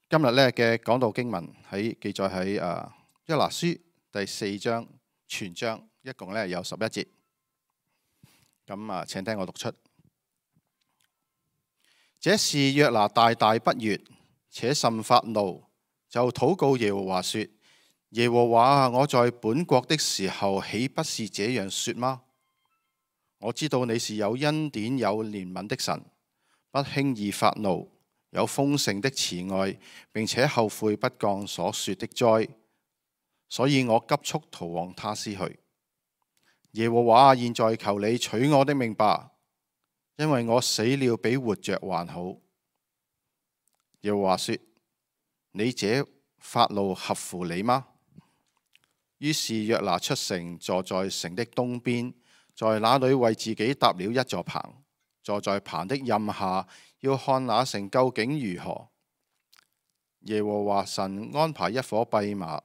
今日咧嘅講道經文記載喺約拿書第4章全章，一共咧有11節。咁請聽我讀出。這事約拿大大不悅，且甚發怒，就禱告耶和華說：耶和華啊，我在本國的時候，豈不是這樣說嗎？我知道你是有恩典有憐憫的神，不輕易發怒，有豐盛的慈愛，並且後悔不降所說的災，所以我急速逃往他施去。耶和華，現在求你取我的命吧，因為我死了比活着還好。耶和華說：你這發怒合乎你嗎？於是約拿出城，坐在城的東邊，在那裏為自己搭了一座棚，坐在棚的蔭下，要看那城究竟如何。耶和華神安排一夥跛馬，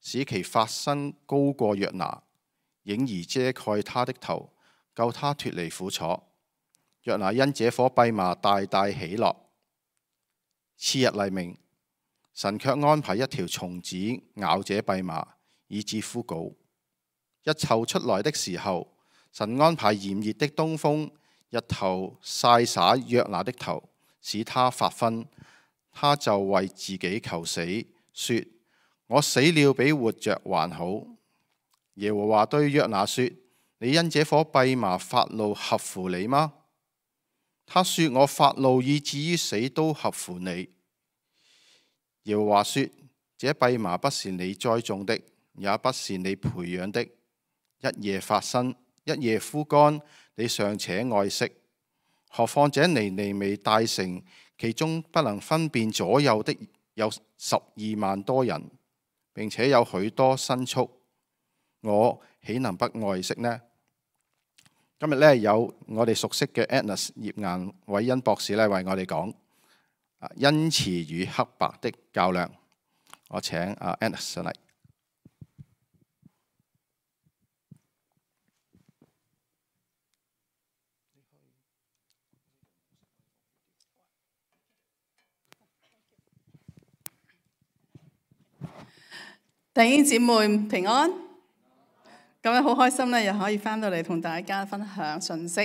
使其發身高過約拿，影兒遮蓋他的頭，救他脫離苦楚。約拿因這夥跛馬大大喜樂。次日黎明，神卻安排一條蟲子咬這跛馬，以致枯槁。日頭出來的時候，神安排炎熱的東風，日頭曬灑約拿的頭，使他發昏。他就為自己求死，說：我死了比活着還好。耶和華對約拿說：你因這夥跛馬發怒合乎你嗎？他說：我發怒以至於死都合乎你。耶和華說：這跛馬不是你栽種的，也不是你培養的，一夜發生，一夜枯乾，你尚且愛惜，何況這尼尼微大城，其中不能分辨左右的有12萬多人，並且有許多牲畜，我豈能不愛惜呢？今日咧有我哋熟悉嘅 Agnes 葉顏偉恩博士咧為我哋講恩慈與黑白的較量。我請Agnes 上嚟。弟兄姊妹平安，咁樣好開心咧，又可以翻到嚟同大家分享信息。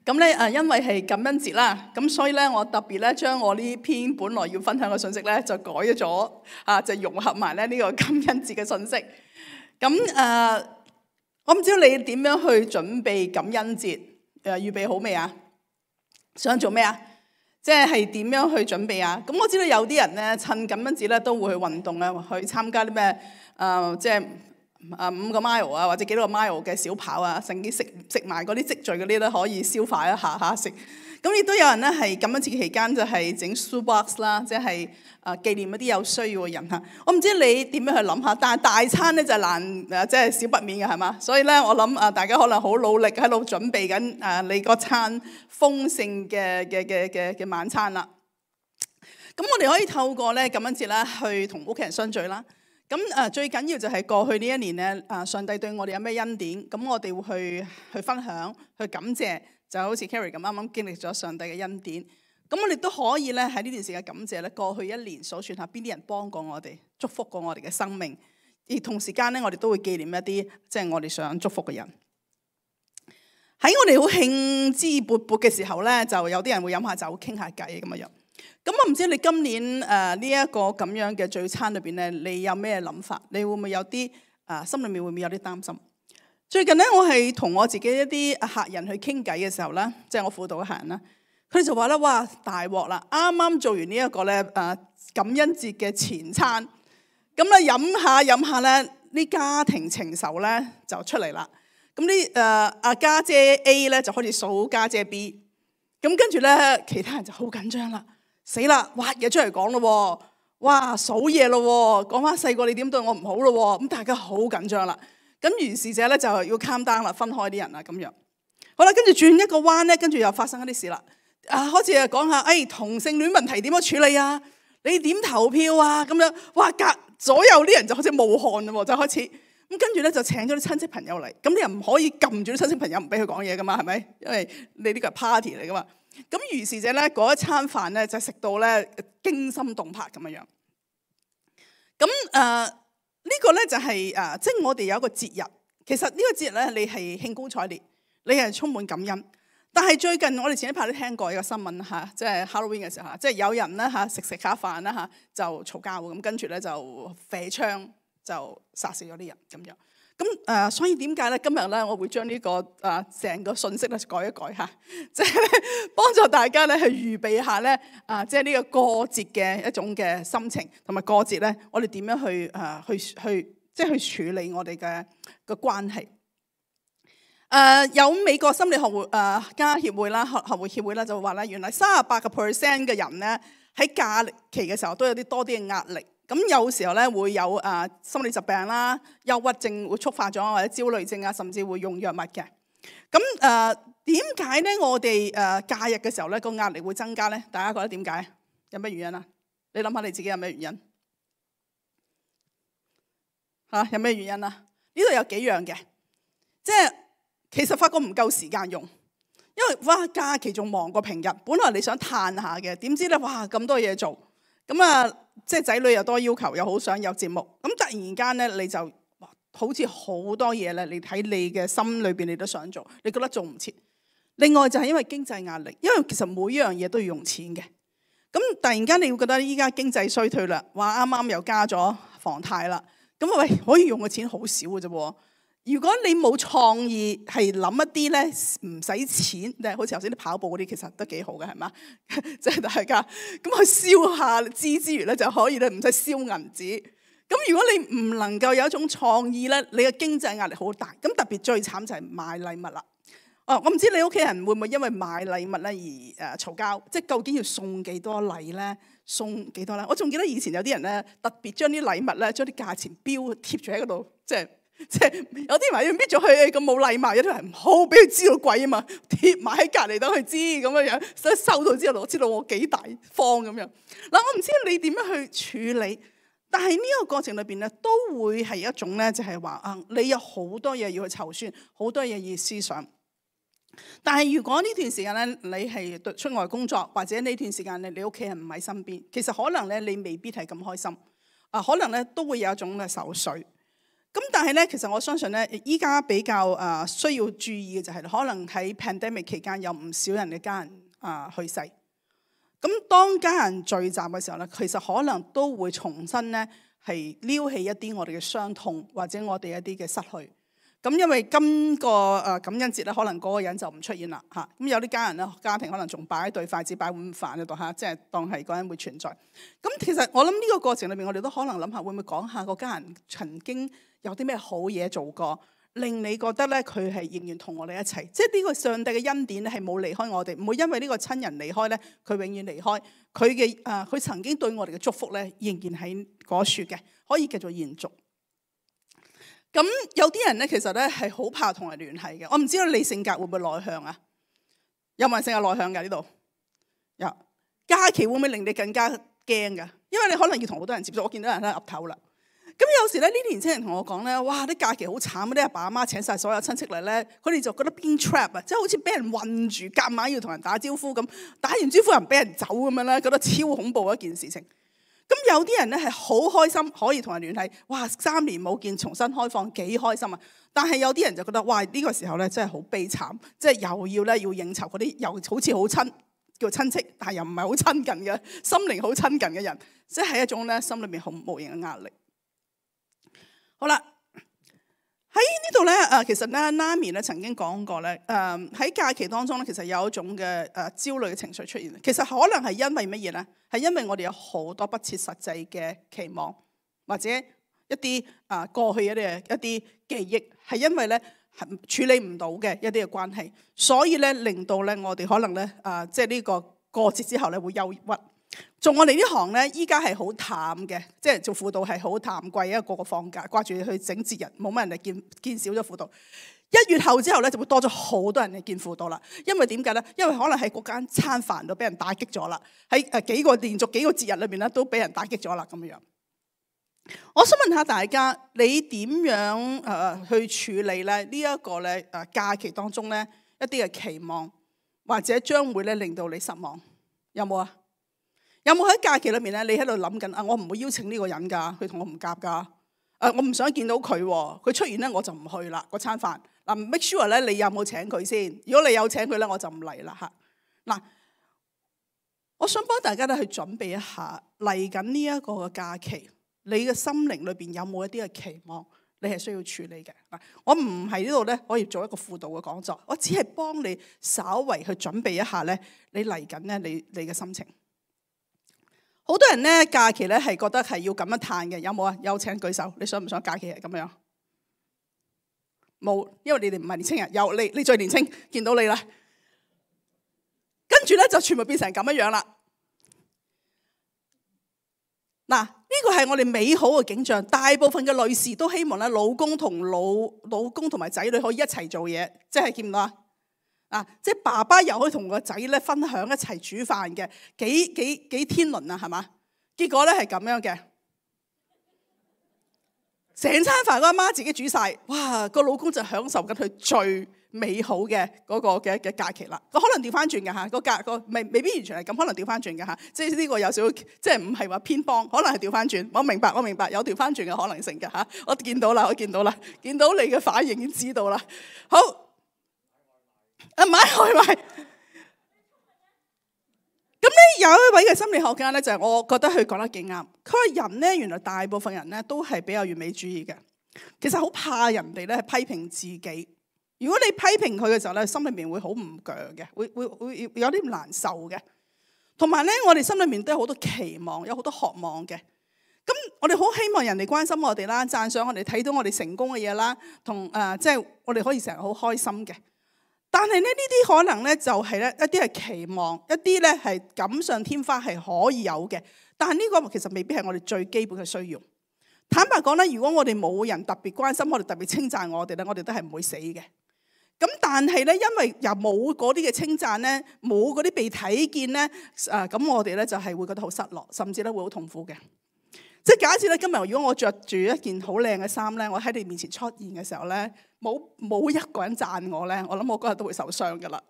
咁咧因為係感恩節啦，咁所以咧我特別咧將我呢篇本來要分享嘅信息咧就改咗就融合埋咧呢個感恩節嘅信息。咁我唔知道你點樣去準備感恩節，預備好未啊？想做咩啊？即係點樣去準備啊？咁我知道有啲人咧趁感恩節咧都會去運動啊，去參加啲咩即係5個 mile 啊，或者幾多個 mile 嘅小跑啊，甚至食埋嗰啲積聚嗰啲咧可以消化一下食。咁亦都有人咧係感恩節期間就係整 soup box 啦，即係紀念一啲有需要嘅人嚇。我唔知你點樣去諗下，但係大餐咧就難即係少不免嘅係嘛？所以咧我諗大家可能好努力喺度準備緊你嗰餐豐盛嘅晚餐啦。咁我哋可以透過咧感恩節啦，去同屋企人相聚啦。咁最緊要就係過去呢一年咧，上帝對我哋有咩恩典，咁我哋會去分享、去感謝，就好似 Carrie 咁啱啱經歷咗上帝嘅恩典。咁我哋都可以咧喺呢段時間感謝咧，過去一年數算下邊啲人幫過我哋、祝福過我哋嘅生命，而同時間咧我哋都會紀念一啲即係我哋想祝福嘅人。喺我哋好興致勃勃嘅時候咧，就有啲人會飲下酒、傾下偈咁樣。咁我唔知你今年呢一個咁樣嘅聚餐裏邊咧，你有咩諗法？你會唔會有啲心裏面會唔會有啲擔心？最近咧，我係同我自己一啲客人去傾偈嘅時候咧，即係我輔導嘅客人啦，佢哋就話咧：哇，大鑊啦！啱啱做完呢一個咧感恩節嘅前餐，咁咧飲下咧，啲家庭情仇咧就出嚟啦。咁啲家姐 A 咧就開始數家姐 B， 咁跟住咧其他人就好緊張啦。死啦！挖嘢出嚟講咯，哇數嘢咯，講翻細個你點對我唔好咯，咁大家好緊張啦。咁於是者咧就要 calm down啦，分開啲人啦咁樣。好啦，跟住轉一個彎咧，跟住又發生一啲事啦。開始講下，同性戀問題點樣處理啊？你點投票啊？咁樣，哇左右啲人就好似冒汗啦，就開始咁跟住咧就請咗啲親戚朋友嚟。咁你又唔可以撳住啲親戚朋友唔俾佢講嘢噶嘛？係咪？因為你呢個係 party 嚟噶嘛。咁於是者咧嗰一餐飯咧就食到咧驚心動魄咁樣樣。咁呢個咧就係即係我哋有一個節日。其實呢個節日咧，你係興高采烈，你係充滿感恩。但係最近我哋前一排都聽過一個新聞嚇，即係 Halloween 嘅時候嚇，即係有人咧嚇食下飯啦嚇就嘈交咁，跟住咧就射槍就殺死咗啲人咁樣。咁所以點解咧今日咧我會將呢個成個信息咧改一改嚇，即係幫助大家咧去預備下咧即係呢個過節嘅一種嘅心情，同埋過節咧我哋點樣去即係去處理我哋嘅關係。有美國心理學會家協會啦，學會協會啦，就話咧，原來38% 嘅人咧喺假期嘅時候都有多啲嘅壓力。咁有時候咧會有心理疾病啦、憂鬱症會觸發咗，或者焦慮症啊，甚至會用藥物嘅。咁點解咧我哋假日嘅時候咧個壓力會增加咧？大家覺得點解？有咩原因啊？你諗下你自己有咩原因？有咩原因啊？呢度有幾樣嘅，即係其實發覺唔夠時間用，因為哇假期仲忙過平日。本來你想嘆下嘅，點知咧哇咁多嘢做，咁即係仔女又多要求，又好想有節目，咁突然間咧你就好似好多嘢咧，你喺你嘅心裏邊你都想做，你覺得做唔切。另外就係因為經濟壓力，因為其實每樣嘢都要用錢嘅。咁突然間你會覺得依家經濟衰退啦，話啱啱又加咗房貸啦，咁喂可以用嘅錢好少嘅啫喎。如果你冇創意，係諗一啲咧唔使錢，即係好似頭先啲跑步嗰啲，其實都幾好嘅，係嘛？即係大家咁去燒下資之餘咧，就可以咧唔使燒銀紙。咁如果你唔能夠有一種創意咧，你嘅經濟壓力好大。咁特別最慘就係買禮物啦。我唔知你屋企人會唔會因為買禮物咧而嘈交？即係究竟要送幾多禮咧？送幾多咧？我仲記得以前有啲人咧特別將啲禮物咧將啲價錢標貼住喺嗰度，即係有啲人話要搣咗佢咁冇禮貌，有啲人唔好俾佢知道貴啊嘛，貼埋喺隔離等佢知咁樣樣，所以收到之後我知道我幾大方咁樣。嗱，我唔知你點樣去處理，但係呢個過程裏邊咧都會係一種咧，就係話你有好多嘢要去籌算，好多嘢要思想。但係如果呢段時間咧，你係出外工作，或者呢段時間你屋企人唔喺身邊，其實可能咧你未必係咁開心，可能咧都會有一種嘅愁緒。咁但係咧，其實我相信咧，依家比較需要注意嘅就係，可能喺 pandemic 期間有唔少人嘅家人去世。咁當家人聚集嘅時候咧，其實可能都會重新咧係撩起一啲我哋嘅傷痛，或者我哋一啲嘅失去。咁因為今個感恩節咧，可能嗰個人就唔出現啦嚇。咁有啲家人咧，家庭可能仲擺一對筷子、擺碗飯喺度嚇，即係當係嗰人會存在。咁其實我諗呢個過程裏邊，我哋都可能諗下，會唔會講下個家人曾經有啲咩好嘢做過，令你覺得咧佢係仍然同我哋一齊。即係呢個上帝嘅恩典咧係冇離開我哋，唔會因為呢個親人離開咧，佢永遠離開。佢嘅佢曾經對我哋嘅祝福咧，仍然喺嗰處嘅，可以繼續延續。咁有啲人咧，其實咧係好怕同人聯繫嘅。我唔知道你性格會唔會內向啊？有冇人性格內向㗎？呢度有。假期會唔會令你更加驚㗎？因為你可能要同好多人接觸。我見到人咧岌頭啦。咁有時咧，呢啲年輕人同我講咧，哇！啲假期好慘，啲阿爸阿媽請晒所有親戚嚟咧，佢哋就覺得邊 trap 啊，即係好似俾人困住，夾硬要同人打招呼咁，打完招呼又唔俾人走咁樣咧，覺得超恐怖一件事情。咁有啲人咧係好開心可以同人聯繫，哇！3年冇見重新開放幾開心啊！但係有啲人就覺得哇呢個時候咧真係好悲慘，即係又要應酬嗰啲又好似好親叫親戚，但係又唔係好親近嘅心靈好親近嘅人，即係一種咧心裏面好無形嘅壓力。好啦，喺呢度咧其實咧 Nami 咧曾經講過咧喺假期當中咧，其實有一種嘅焦慮嘅情緒出現。其實可能係因為乜嘢咧？係因為我哋有好多不切實際嘅期望，或者一啲過去一啲記憶，係因為咧處理唔到嘅一啲嘅關係，所以咧令到咧我哋可能咧即係呢個過節之後咧會憂鬱。做我哋呢行咧，依家係好淡嘅，即係做輔導係好淡季，因為個個放假，掛住去整節日，冇乜人嚟見少咗輔導。1月後之後咧，就會多咗好多人嚟見輔導啦。因為點解咧？因為可能喺嗰間餐飯度俾人打擊咗啦，喺連續幾個節日裏邊咧都俾人打擊咗啦咁樣。我想問下大家，你點樣去處理咧呢一個咧假期當中咧一啲嘅期望，或者將會咧令到你失望，有冇啊？有冇喺假期裏面咧，你喺度諗緊啊？我唔會邀請呢個人㗎，佢同我唔夾㗎。我唔想見到佢，佢出現咧我就唔去啦嗰餐飯。嗱，make sure 咧你有冇請佢先？如果你有請佢咧，我就唔嚟啦嚇。嗱，我想幫大家咧去準備一下嚟緊呢一個嘅假期，你嘅心靈裏邊有冇一啲嘅期望？你係需要處理嘅。我唔係呢度咧可以做一個輔導嘅講座，我只係幫你稍為去準備一下咧，你嚟緊咧你嘅心情。好多人咧假期咧係覺得係要咁樣嘆嘅，有冇啊？有請舉手，你想唔想假期係咁樣？冇，因為你哋唔係年青人。有，你最年青，見到你啦。跟住咧就全部變成咁樣啦。嗱，呢個係我哋美好嘅景象。大部分嘅女士都希望咧，老公同埋仔女可以一齊做嘢，即係見唔到啊？即係爸爸又可以同個仔咧分享一齊煮飯嘅，幾天倫啊，係嘛？結果咧係咁樣嘅，成餐飯嗰阿媽自己煮晒，哇！個老公就享受緊佢最美好嘅嗰個嘅假期啦。可能調翻轉嘅嚇，未必完全係咁，可能調翻轉嘅嚇。即係呢個有少少，即係唔係話偏幫，可能係調翻轉。我明白，有調翻轉嘅可能性嘅嚇。我見到啦，見到你嘅反應已經知道啦。好。買外賣。咁咧有一位嘅心理學家咧，就係我覺得佢講得幾啱。佢話人咧，原來大部分人咧都係比較完美主義嘅。其實好怕人哋咧係批評自己。如果你批評佢嘅時候咧，心裏面會好唔鋸嘅，會有啲難受嘅。同埋咧，我哋心裏面都有好多期望，有好多渴望嘅。咁我哋好希望人哋關心我哋啦，讚賞我哋，睇到我哋成功嘅嘢啦，即係我哋可以成日好開心嘅。但係咧，呢啲可能咧就係咧一啲係期望，一啲咧係錦上添花係可以有嘅。但係呢個其實未必係我哋最基本嘅需要。坦白講咧，如果我哋冇人特別關心我哋，特別稱讚我哋咧，我哋都係唔會死嘅。咁但係咧，因為又冇嗰啲嘅稱讚咧，冇嗰啲被睇見咧，咁我哋咧就係會覺得好失落，甚至咧會好痛苦嘅。即係假設咧，今日如果我着住一件好靚嘅衫咧，我喺你面前出現嘅時候咧，冇一個人讚我咧，我諗我嗰日都會受傷噶啦。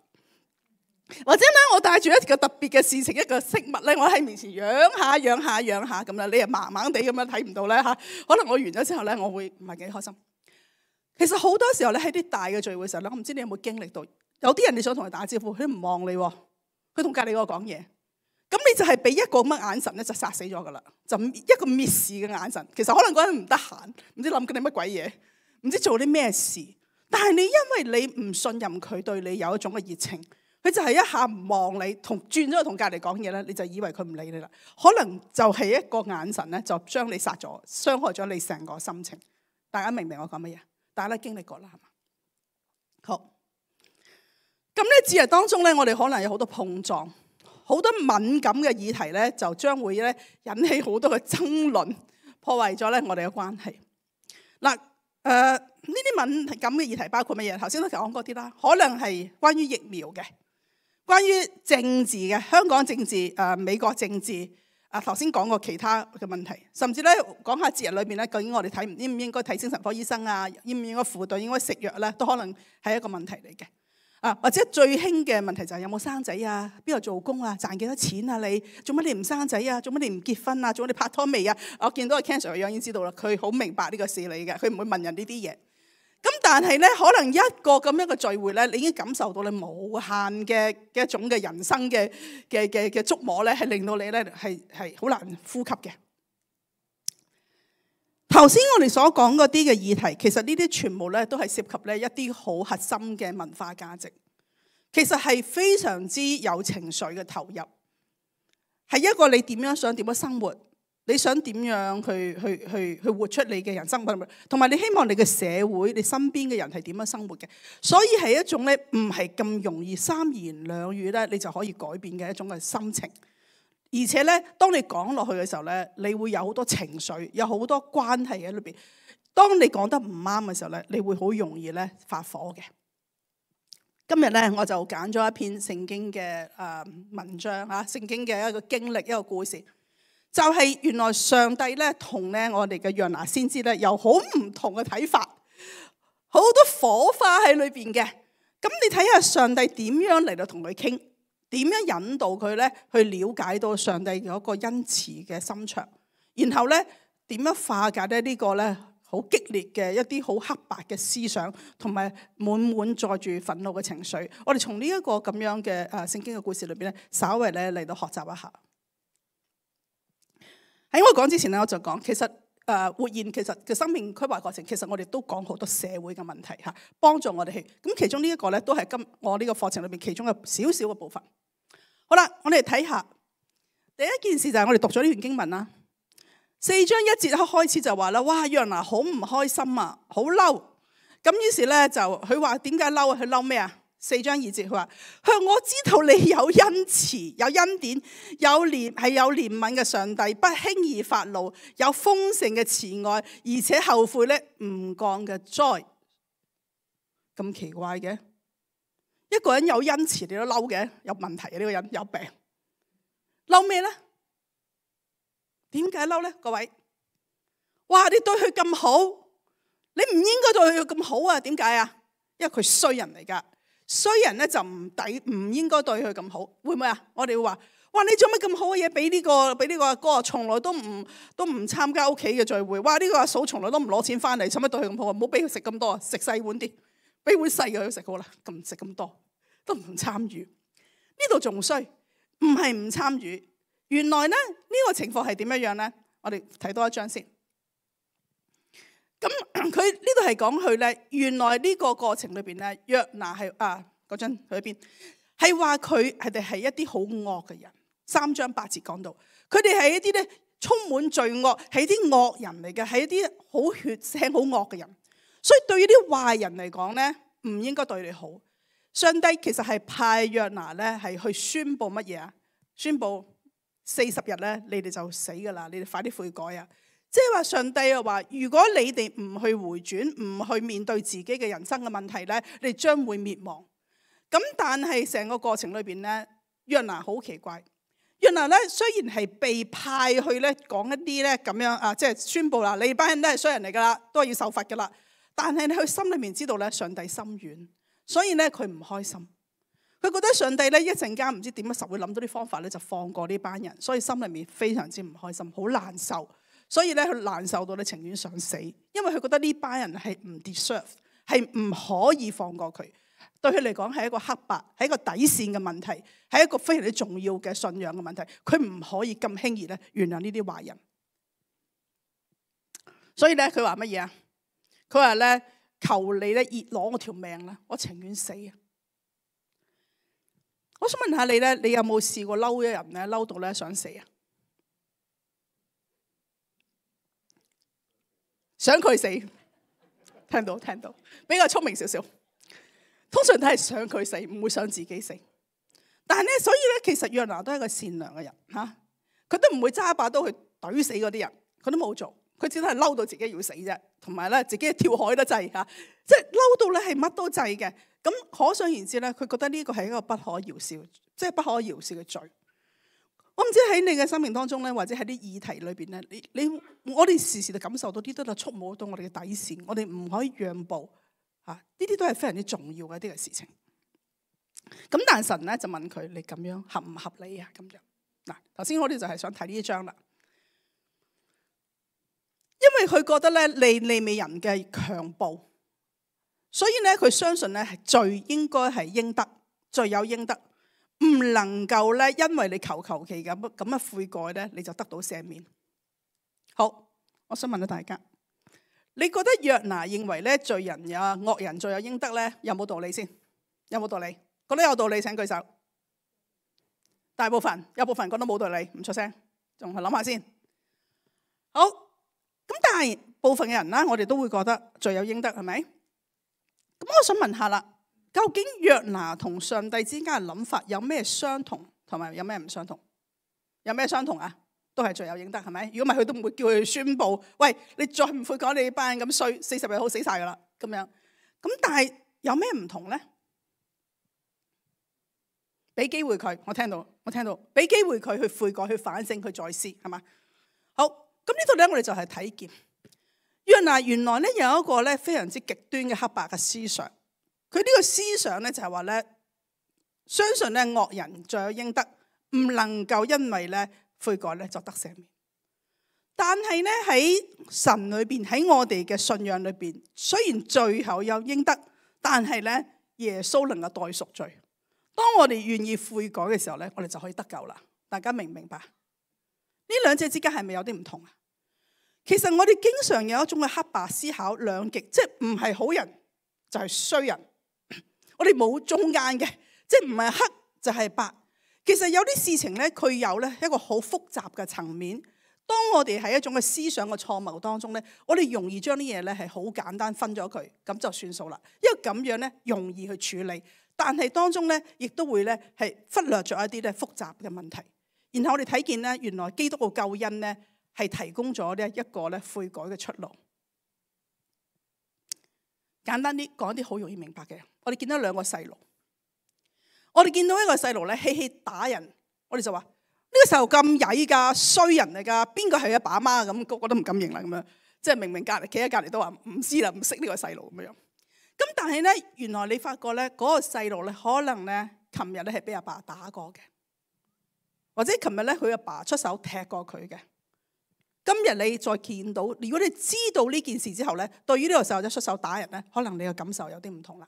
或者咧，我帶住一個特別嘅事情，一個飾物咧，我喺面前揚下咁啦，你又盲盲地咁樣睇唔到咧嚇。可能我完咗之後咧，我會唔係幾開心。其實好多時候咧，喺啲大嘅聚會嘅時候咧，我唔知你有冇經歷到，有啲人你想同佢打招呼，佢唔望你喎，佢同隔離嗰個講嘢。咁你就係俾一個咁嘅眼神咧，就殺死咗噶啦，就一個蔑視嘅眼神。其實可能嗰人唔得閒，唔知諗緊你乜鬼嘢，唔知做啲咩事。但係你因為你唔信任佢對你有一種嘅熱情，佢就係一下唔望你，轉咗去同隔離講嘢咧，你就以為佢唔理你啦。可能就係一個眼神咧，就將你殺咗，傷害咗你成個心情。大家明唔明我講乜嘢？大家都經歷過啦，係嘛？好。咁咧，節日當中咧，我哋可能有好多碰撞。好多敏感嘅議題咧，就將會咧引起好多嘅爭論，破壞咗咧我哋嘅關係。嗱，呢啲敏感嘅議題包括乜嘢？頭先都講嗰啲啦，可能係關於疫苗嘅，關於政治嘅，香港政治、美國政治。頭先講過其他嘅問題，甚至咧講下節日裏邊咧，究竟我哋應唔應該睇精神科醫生啊？應唔應該輔導？應該食藥咧？都可能係一個問題嚟嘅。或者最興嘅問題就係有冇生仔啊？邊度做工啊？賺幾多錢啊？你做乜你唔生仔啊？做乜你唔結婚啊？做乜你拍拖未啊？我見到個 cancer 嘅樣已經知道啦，佢好明白呢個事理嘅，佢唔會問人呢啲嘢。咁但係咧，可能一個咁樣嘅聚會咧，你已經感受到你無限嘅一種嘅人生嘅觸摸咧，係令到你咧係好難呼吸嘅。頭先我哋所講嗰啲嘅議題，其實呢啲全部咧都係涉及咧一啲好核心嘅文化價值，其實係非常之有情緒嘅投入，係一個你點樣生活，你想點樣去活出你嘅人生，同埋你希望你嘅社會、你身邊嘅人係點樣生活嘅，所以係一種咧唔係咁容易三言兩語咧你就可以改變嘅一種嘅心情。而且咧，當你講落去嘅時候咧，你會有好多情緒，有好多關係喺裏邊。當你講得唔啱嘅時候咧，你會好容易咧發火嘅。今日咧，我就揀咗一篇聖經嘅文章嚇，聖經嘅一個經歷，一個故事，就係原來上帝咧同咧我哋嘅約拿先知咧有好唔同嘅睇法，好多火花喺裏邊嘅。咁你睇下上帝點樣嚟到同佢傾，點樣引導佢咧去了解到上帝嗰個恩慈嘅心腸，然後咧點樣化解咧呢個咧好激烈嘅一啲好黑白嘅思想，同埋滿載住憤怒嘅情緒。我哋從呢一個咁樣嘅聖經嘅故事裏邊咧，稍微咧嚟到學習一下。喺我講之前咧，我就講其實活現其實嘅生命規劃過程，其實我哋都講好多社會嘅問題嚇，幫助我哋去。咁其中呢一個咧，都係我呢個課程裏邊其中嘅少少嘅部分。好啦，我哋睇下第一件事就係我哋讀咗呢段經文啦。4章1節開始就話啦，哇，約拿好唔開心啊，好嬲。咁於是咧就佢話點解嬲啊？佢嬲咩啊？4章2節佢話：我知道你有恩慈、有恩典、有憐憫嘅上帝，不輕易發怒，有豐盛嘅慈愛，而且後悔咧唔降嘅災。咁奇怪嘅，一個人有恩慈你都嬲嘅，有問題啊！呢個人有病，嬲咩咧？點解嬲咧？各位，哇！你對佢咁好，你唔應該對佢咁好啊？點解啊？因為佢衰人嚟噶。衰人咧就唔應該對佢咁好，會唔會啊？我哋會話：哇！你做乜咁好嘅嘢俾呢個阿哥，從來都唔參加屋企嘅聚會。哇！呢個阿嫂從來都唔攞錢翻嚟，使乜對佢咁好啊？唔好俾佢食咁多，食細碗啲，俾碗細嘅佢食好啦，咁食咁多都唔參與。呢度仲衰，唔係唔參與。原來咧呢個情況係點樣咧？我哋睇多一章先。咁佢呢度係講佢咧，原來呢個過程裏邊咧，約拿係嗰陣去邊？係話佢哋係一啲好惡嘅人。3章8節講到，佢哋係一啲咧充滿罪惡，係啲惡人嚟嘅，係一啲好血腥、好惡嘅人。所以對於啲壞人嚟講咧，唔應該對你好。上帝其實係派約拿咧係去宣佈乜嘢啊？宣佈40日咧，你哋就死噶啦！你哋快啲悔改啊！即係話上帝又話，如果你哋唔去回轉，唔去面對自己嘅人生嘅問題咧，你哋將會滅亡。咁但係成個過程裏邊咧，約拿好奇怪。約拿咧雖然係被派去咧講一啲咧咁樣即係宣佈啦，你班人都係衰人嚟噶啦，都係要受罰噶啦。但係佢心裏面知道咧，上帝心軟，所以咧佢唔開心。佢覺得上帝咧一陣間唔知點樣實會諗到啲方法咧，就放過呢班人，所以心裏面非常之唔開心，好難受。所以咧，佢難受到你情願想死，因為佢覺得呢班人係唔 deserve， 係唔可以放過佢。對佢嚟講係一個黑白，係一個底線嘅問題，係一個非常之重要嘅信仰嘅問題。佢唔可以咁輕易咧原諒呢啲壞人。所以咧，佢話乜嘢啊？佢話咧，求你咧熱攞我條命啦，我情願死啊！我想問下你咧，你有冇試過嬲一人咧，嬲到咧想死啊？想佢死，聽到，比較聰明少少。通常都係想佢死，唔會想自己死。但係咧，所以咧，其實約拿都係一個善良嘅人嚇，佢都唔會揸把刀去懟死嗰啲人，佢都冇做，佢只係嬲到自己要死啫，同埋咧自己跳海都制嚇，即係嬲到咧係乜都制嘅。咁可想而知咧，佢覺得呢個係一個不可饒恕，即係不可饒恕嘅罪。我唔知喺你嘅生命當中咧，或者喺啲議題裏邊咧，我哋時時都感受到啲都係觸摸到我哋嘅底線，我哋唔可以讓步嚇，呢啲都係非常之重要嘅一啲嘅事情。咁但神咧就問佢：你咁樣合唔合理啊？咁樣嗱，頭先我哋就係想睇呢一章啦，因為佢覺得咧利未人嘅強暴，所以咧佢相信咧係罪應該係應得，罪有應得。唔能夠咧，因為你求其咁嘅悔改咧，你就得到赦免。好，我想問下大家，你覺得約拿認為咧罪人惡人罪有應得咧，有冇道理先？有冇道理？覺得有道理請舉手。大部分，有部分覺得冇道理，唔出聲，仲係諗下先。好，咁但係部分嘅人啦，我哋都會覺得罪有應得，係咪？咁我想問下啦。究竟約拿同上帝之間嘅諗法有咩相同，同埋有咩唔相同？有咩相同啊？都係罪有應得，係咪？如果唔係，佢都唔會叫佢宣佈：喂，你再唔悔改，你班人咁衰，40日好死晒噶啦咁樣。咁但係有咩唔同咧？俾機會佢，我聽到，俾機會佢去悔改、去反省、去再思，係嘛？好，咁呢度咧，我哋就係睇見約拿原來咧有一個咧非常之極端嘅黑白嘅思想。佢呢個思想咧就係話咧，相信咧惡人罪有應得，唔能夠因為咧悔改咧就得赦免。但係咧喺神裏邊，喺我哋嘅信仰裏邊，雖然罪後有應得，但係咧耶穌能夠代贖罪。當我哋願意悔改嘅時候咧，我哋就可以得救啦。大家明唔明白？呢兩者之間係咪有啲唔同啊？其實我哋經常有一種嘅黑白思考，兩極，即係唔係好人就係衰人。我哋冇中間嘅，即係唔係黑就係白。其實有啲事情咧，佢有咧一個好複雜嘅層面。當我哋喺一種嘅思想嘅錯謬當中咧，我哋容易將啲嘢咧係好簡單分咗佢，咁就算數啦。因為咁樣咧容易去處理，但係當中咧亦都會咧係忽略咗一啲咧複雜嘅問題。然後我哋睇見咧，原來基督嘅救恩咧係提供咗呢一個咧悔改嘅出路。簡單啲講啲好容易明白嘅，我哋見到兩個細路，我哋見到一個細路咧嬉戲打人，我哋就話。呢個細路咁曳㗎，衰人嚟㗎，邊個係阿爸阿媽咁？個個都唔敢認啦咁樣，即係明明隔離企喺隔離都話唔知啦，唔識呢個細路咁樣。咁但係咧，原來你發覺咧，嗰個細路咧，可能咧，琴日咧係俾阿爸打過嘅，或者琴日咧佢阿爸出手踢過佢嘅。今日你再見到，如果你知道呢件事之後咧，對於呢個細路仔出手打人咧，可能你嘅感受有啲唔同啦，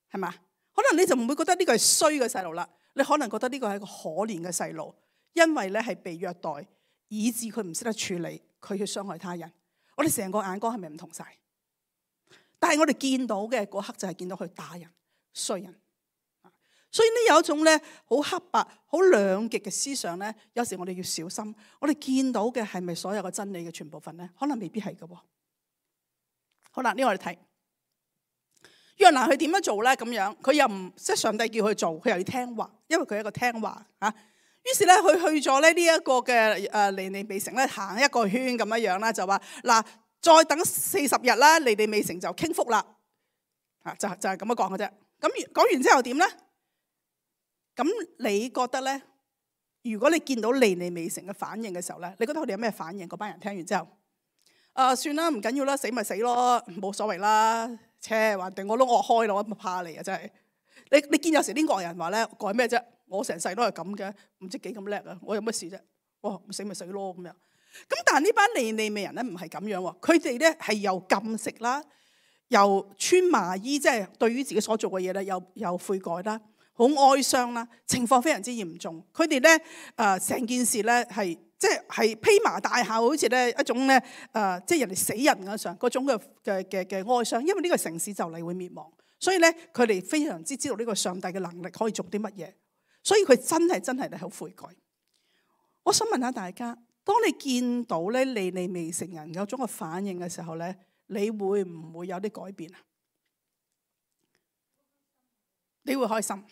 係嘛？可能你就唔會覺得呢個係衰嘅細路啦。你可能覺得呢個係一個可憐嘅細路，因為咧係被虐待，以致佢唔識得處理，佢去傷害他人。我哋成個眼光係咪唔同晒？但係我哋見到嘅嗰刻就係見到佢打人、衰人。所以呢有一種咧好黑白、好兩極嘅思想咧，有時我哋要小心。我哋見到嘅係咪所有嘅真理嘅全部份咧？可能未必係㗎。好啦，呢個我哋睇。約拿佢點樣做咧？咁樣佢又唔即係上帝叫佢做，佢又要聽話，因為佢係一個聽話嚇。於是咧，佢去咗咧呢一個嘅尼尼微城咧行一個圈咁樣啦，就話嗱，再等40日啦，尼尼微城就傾覆啦。就係咁樣講嘅啫。咁講完之後點咧？咁你覺得咧？如果你見到尼尼微城嘅反應嘅時候咧，你覺得佢哋有咩反應？嗰班人聽完之後，算啦，唔緊要啦，死咪死咯，冇所謂啦。話定我都惡開咯，我怕你啊！真係你見有時啲惡人話咧，改咩啫？我成世都係咁嘅，唔知幾咁叻啊！我有乜事啫？死咪死咯咁樣。咁但係呢班尼尼微人咧唔係咁樣喎，佢哋咧係又禁食啦，又穿麻衣，即係對於自己所做嘅嘢咧又悔改啦，好哀傷啦，情況非常之嚴重。佢哋咧成件事咧係。即係披麻戴孝，好似咧一種咧即係人哋死人嗰上嗰種嘅哀傷，因為呢個城市就嚟會滅亡，所以咧佢哋非常之知道呢個上帝嘅能力可以做啲乜嘢，所以佢真係嚟好悔改。我想問下大家，當你見到咧尼尼微城人有種嘅反應嘅時候咧，你會唔會有啲改變啊？你會開心？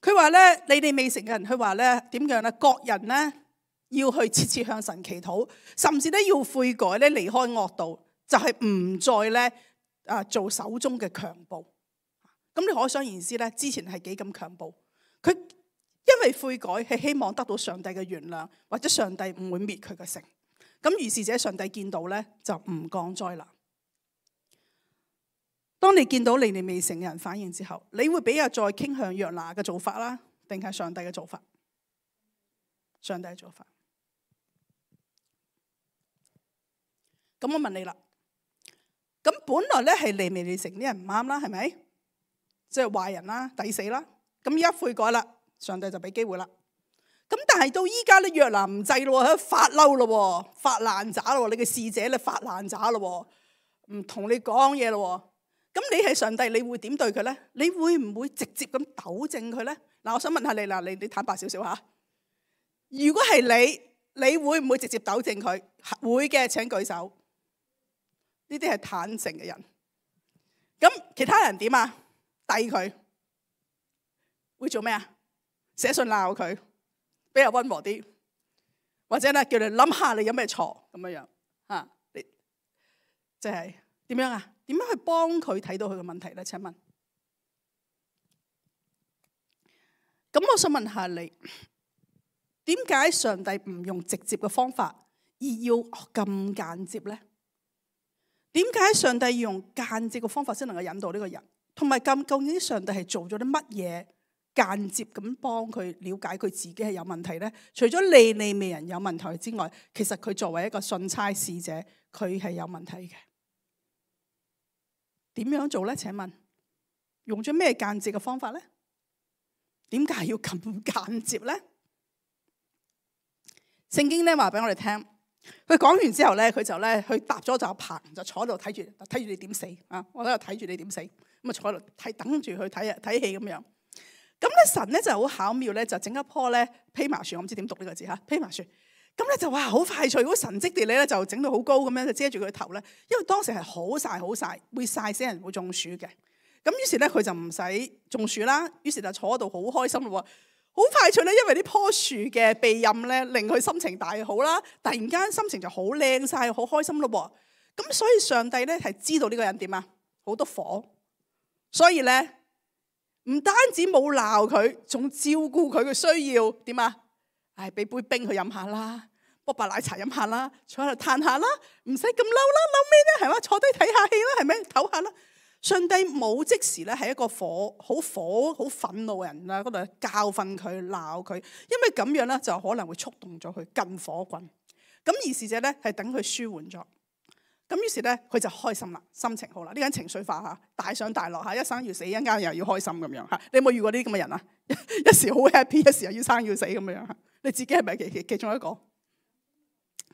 佢話咧尼尼微城嘅人，佢話咧點樣咧？各人咧。要去切切向神祈禱，甚至咧要悔改咧，離開惡道，就係唔再咧做手中嘅強暴。咁你可想而知咧，之前係幾咁強暴。佢因為悔改係希望得到上帝嘅原諒，或者上帝唔會滅佢嘅城。咁於是者上帝見到咧就唔降災啦。當你見到尼尼微城嘅人反應之後，你會比較再傾向約拿嘅做法啦，定係上帝嘅做法？上帝嘅做法。咁我問你啦，咁本來咧係尼尼微城啲人唔啱啦，係咪？即係壞人啦，抵死啦。咁而家悔改啦，上帝就俾機會啦。咁但係到依家咧，約拿唔制咯，喺度發嬲咯，發爛渣咯，你嘅使者咧發爛渣咯，唔同你講嘢咯。咁你係上帝，你會點對佢咧？你會唔會直接咁糾正佢咧？嗱，我想問下你啦，你坦白少少吓。如果係你會唔會直接糾正佢？會嘅，請舉手。呢啲係坦誠嘅人，咁其他人點啊？抵佢會做咩啊？寫信鬧佢，比較溫和啲，或者咧叫你諗下你有咩錯咁樣啊？你即係點樣啊？點樣去幫佢睇到佢嘅問題咧？請問，咁我想問下你，點解上帝唔用直接嘅方法，而要咁間接咧？點解上帝要用間接嘅方法先能夠引導呢個人？同埋究竟上帝係做咗啲乜嘢間接咁幫佢了解佢自己係有問題呢？除咗利未人有問題之外，其實佢作為一個信差使者，佢係有問題嘅。點樣做呢？請問用咗咩間接嘅方法呢？點解要咁間接呢？聖經咧話俾我哋聽，佢講完之後咧，佢就咧去搭咗就棚，就坐喺度睇住你點死啊！我喺度睇住你點死，咁啊坐喺度睇，等住去睇戲咁樣。咁咧神咧就好巧妙咧，就整一棵咧蓖麻樹，我唔知點讀呢個字嚇，蓖麻樹。咁咧就哇好快脆，好神蹟地咧就整到好高咁樣，就遮住佢頭咧。因為當時係好曬，會曬死人，會中暑嘅。咁於是咧佢就唔使中暑啦，於是就坐喺度好開心咯。好快脆咧，因為呢棵樹嘅庇蔭咧，令佢心情大好啦。突然間心情就好靚晒，好開心咯。咁所以上帝咧係知道呢個人點啊，好多火，所以咧唔單止冇鬧佢，仲照顧佢嘅需要點啊？俾杯冰佢飲下啦，煲白奶茶飲下啦，坐喺度嘆下啦，唔使咁嬲啦，嬲咩咧？係嘛，坐低睇下戲啦，係咪？唞下啦。上帝冇即時咧係一個好憤怒嘅人啦，嗰度教訓佢鬧佢，因為咁樣咧就可能會觸動咗佢更火滾。咁而事者咧係等佢舒緩咗，咁於是咧佢就開心啦，心情好啦。呢個人情緒化嚇，大上大落嚇，一生要死，一間又要開心咁樣嚇。你有冇遇過呢啲咁嘅人啊？一時好 happy， 一時又要生要死咁樣嚇。你自己係咪其中一個？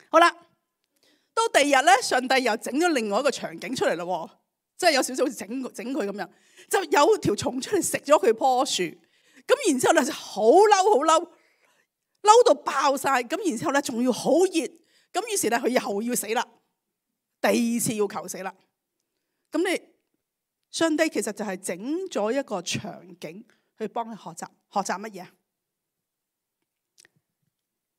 好啦，到第二日咧，上帝又整咗另外一個場景出嚟咯。即係有少少好似整佢咁樣，就有條蟲出嚟食咗佢棵樹，咁然之後咧就好嬲到爆晒，咁然之後咧仲要好熱，咁於是咧佢又要死啦，第二次要求死啦。咁你上帝其實就係整咗一個場景去幫佢學習乜嘢啊？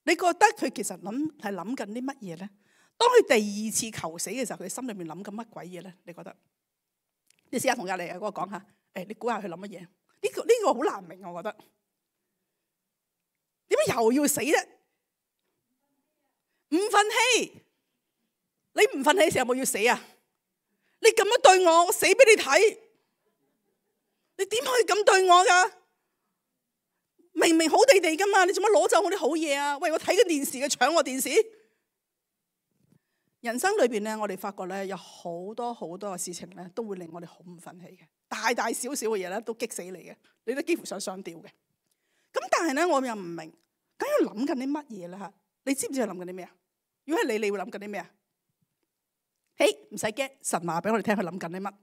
你覺得佢其實係諗緊啲乜嘢咧？當佢第二次求死嘅時候，佢心裏面諗緊乜鬼嘢咧？你覺得？你試下同隔籬嗰個講下，你估下佢諗乜嘢？呢個好難明，我覺得。點解又要死咧？唔忿氣，你唔忿氣嘅時候有冇要死啊？你咁樣對我，我死俾你睇，你點可以咁對我噶？明明好地地噶嘛，你做乜攞走我啲好嘢啊？喂，我睇緊電視嘅，搶我電視。人生裏邊咧，我哋發覺咧有好多嘅事情咧，都會令我哋好唔忿氣嘅，大大小小嘅嘢咧都激死你嘅，你都幾乎想上吊嘅。咁但係咧，我又唔明，咁要諗緊啲乜嘢咧？吓，你知唔知佢諗緊啲咩啊？如果係你會諗緊啲咩啊？唔使驚，神話俾我哋聽，佢諗緊啲乜？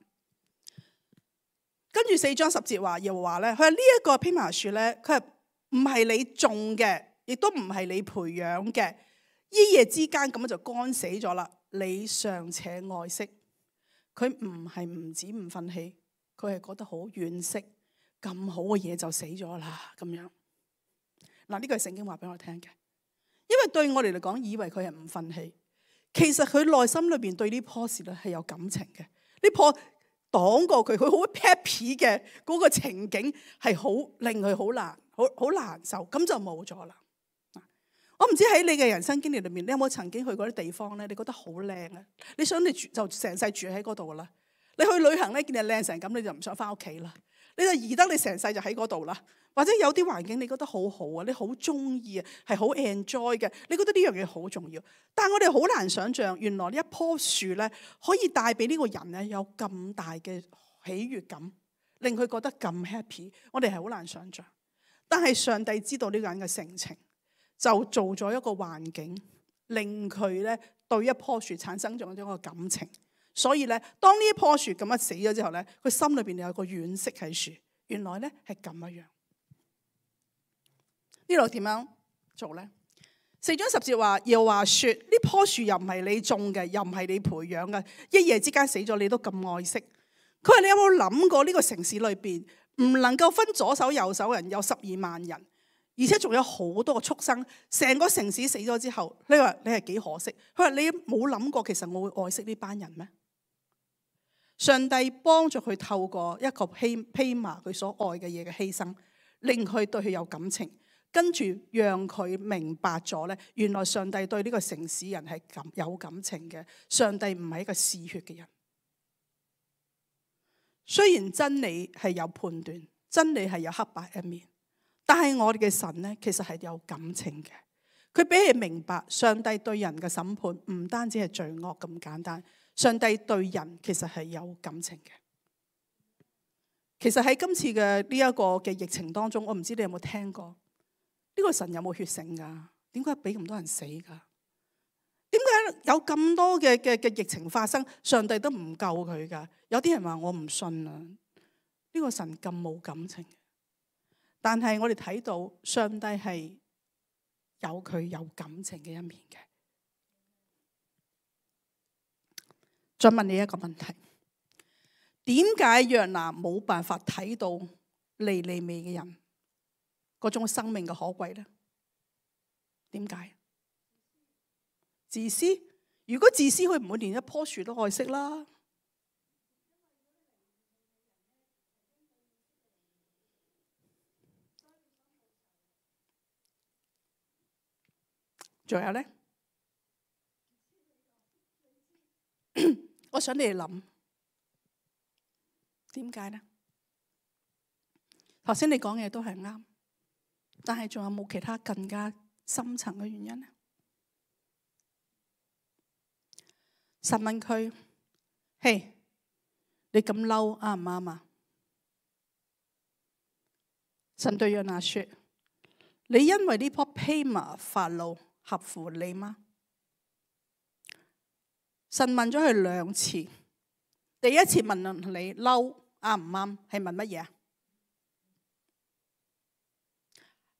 跟住4章10節話，又話咧，佢話呢一個蓖麻樹咧，佢係唔係你種嘅，亦都唔係你培養嘅。一夜之間咁就乾死咗啦！你尚且愛惜佢，唔係唔止唔忿氣，佢係覺得好惋惜，咁好嘅嘢就死咗啦咁樣。嗱，呢個係聖經話俾我聽嘅，因為對我哋嚟講，以為佢係唔忿氣，其實佢內心裏邊對呢棵樹咧係有感情嘅。呢棵擋過佢好 happy 嘅嗰個情景係好令佢好難受，咁就冇咗啦。我唔知喺你嘅人生經歷裏面，你有冇曾經去過啲地方咧？你覺得好靚啊！你想你就成世住喺嗰度啦。你去旅行咧，見你靚成咁，你就唔想翻屋企啦。你就宜得你成世就喺嗰度啦。或者有啲環境你覺得好好啊，你好中意啊，係好 enjoy 嘅。你覺得呢樣嘢好重要，但係我哋好難想象，原來呢一棵樹咧可以帶俾呢個人咧有咁大嘅喜悅感，令佢覺得咁 happy。我哋係好難想象，但係上帝知道呢個人嘅性情。就做咗一個環境，令佢咧對一棵樹產生咗一個感情。所以咧，當呢一棵樹咁樣死咗之後咧，佢心裏邊有個惋惜喺樹。原來咧係咁樣。呢度點樣做咧？4章10節話，又話說呢棵樹又唔係你種嘅，又唔係你培養嘅，一夜之間死咗，你都咁愛惜。佢話你有冇諗過呢個城市裏邊唔能夠分左手右手人有12萬人？而且仲有好多個畜生，成個城市死咗之後，你話你係幾可惜？佢話你冇諗過，其實我會愛惜呢班人咩？上帝幫助佢透過一個蓖麻佢所愛嘅嘢嘅犧牲，令佢對佢有感情，跟住讓佢明白咗咧，原來上帝對呢個城市人係有感情嘅。上帝唔係一個嗜血嘅人。雖然真理係有判斷，真理係有黑白一面，但係我哋嘅神呢，其實係有感情嘅。佢俾你明白，上帝對人嘅審判唔單止係罪惡咁簡單，上帝對人其實係有感情嘅。其實喺今次嘅呢一個嘅疫情當中，我唔知你有冇聽過呢個神有冇血性噶？點解俾咁多人死噶？點解有咁多嘅疫情發生，上帝都唔救佢噶？有啲人話我唔信啊，呢個神咁冇感情。但係我哋睇到上帝係有佢有感情嘅一面嘅。再問你一個問題，點解約拿冇辦法睇到尼尼微嘅人嗰種生命嘅可貴呢？點解？自私？如果自私，佢唔會連一棵樹都愛惜啦。仲有呢？我想你哋諗，點解呢？頭先你講嘅嘢都係啱，但係仲有冇其他更加深層嘅原因呢？神問佢：嘿，你咁嬲啱唔啱啊？神對約拿說：你因為呢棵蓖麻發怒，合乎理嗎？神問咗佢兩次，第一次問你嬲啱唔啱，係問乜嘢啊？